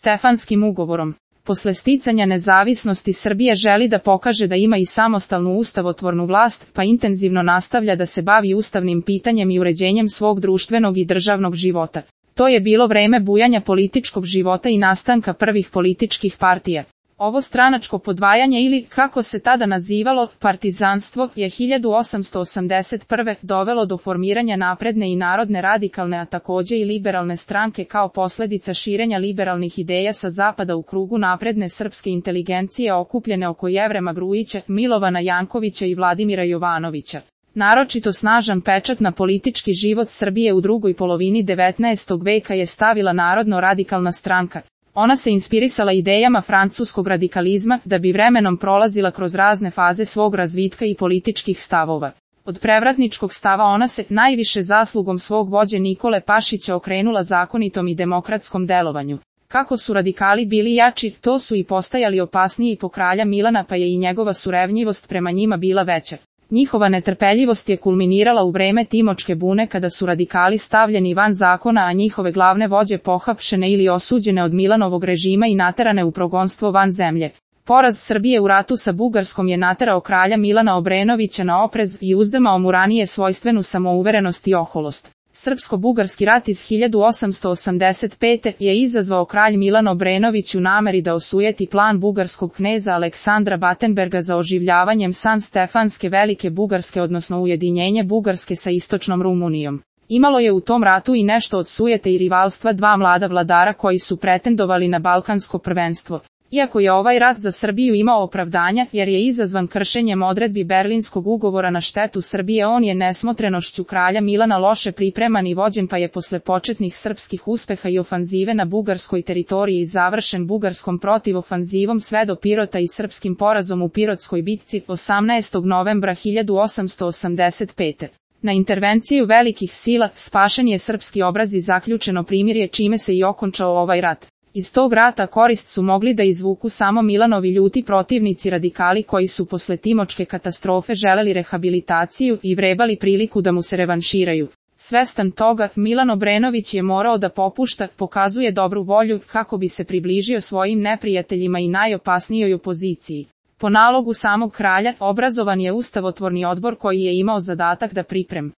Stefanskim ugovorom. Posle sticanja nezavisnosti Srbije želi da pokaže da ima i samostalnu ustavotvornu vlast, pa intenzivno nastavlja da se bavi ustavnim pitanjem i uređenjem svog društvenog i državnog života. To je bilo vreme bujanja političkog života i nastanka prvih političkih partija. Ovo stranačko podvajanje ili, kako se tada nazivalo, partizanstvo, je 1881. dovelo do formiranja napredne i narodne radikalne, a takođe i liberalne stranke kao posledica širenja liberalnih ideja sa zapada u krugu napredne srpske inteligencije okupljene oko Jevrema Grujića, Milovana Jankovića i Vladimira Jovanovića. Naročito snažan pečat na politički život Srbije u drugoj polovini 19. veka je stavila Narodno-radikalna stranka. Ona se inspirisala idejama francuskog radikalizma, da bi vremenom prolazila kroz razne faze svog razvitka i političkih stavova. Od prevratničkog stava ona se, najviše zaslugom svog vođe Nikole Pašića, okrenula zakonitom i demokratskom delovanju. Kako su radikali bili jači, to su i postajali opasniji po kralja Milana, pa je i njegova surevnjivost prema njima bila veća. Njihova netrpeljivost je kulminirala u vreme Timočke bune kada su radikali stavljeni van zakona, a njihove glavne vođe pohapšene ili osuđene od Milanovog režima i naterane u progonstvo van zemlje. Poraz Srbije u ratu sa Bugarskom je naterao kralja Milana Obrenovića na oprez i uzdrmao mu ranije svojstvenu samouverenost i oholost. Srpsko-bugarski rat iz 1885. je izazvao kralj Milan Obrenović u nameri da osujeti plan bugarskog kneza Aleksandra Batenberga za oživljavanjem San Stefanske Velike Bugarske, odnosno ujedinjenje Bugarske sa istočnom Rumunijom. Imalo je u tom ratu i nešto od sujete i rivalstva dva mlada vladara koji su pretendovali na balkansko prvenstvo. Iako je ovaj rat za Srbiju imao opravdanja, jer je izazvan kršenjem odredbi Berlinskog ugovora na štetu Srbije, on je nesmotrenošću kralja Milana loše pripreman i vođen, pa je posle početnih srpskih uspeha i ofanzive na bugarskoj teritoriji završen bugarskom protivofanzivom sve do Pirota i srpskim porazom u Pirotskoj bitci 18. novembra 1885. Na intervenciju velikih sila spašen je srpski obraz i zaključeno primirje, čime se i okončao ovaj rat. Iz tog rata korist su mogli da izvuku samo Milanovi ljuti protivnici radikali koji su posle Timočke katastrofe želeli rehabilitaciju i vrebali priliku da mu se revanširaju. Svestan toga, Milan Obrenović je morao da popušta, pokazuje dobru volju kako bi se približio svojim neprijateljima i najopasnijoj opoziciji. Po nalogu samog kralja, obrazovan je ustavotvorni odbor koji je imao zadatak da pripremi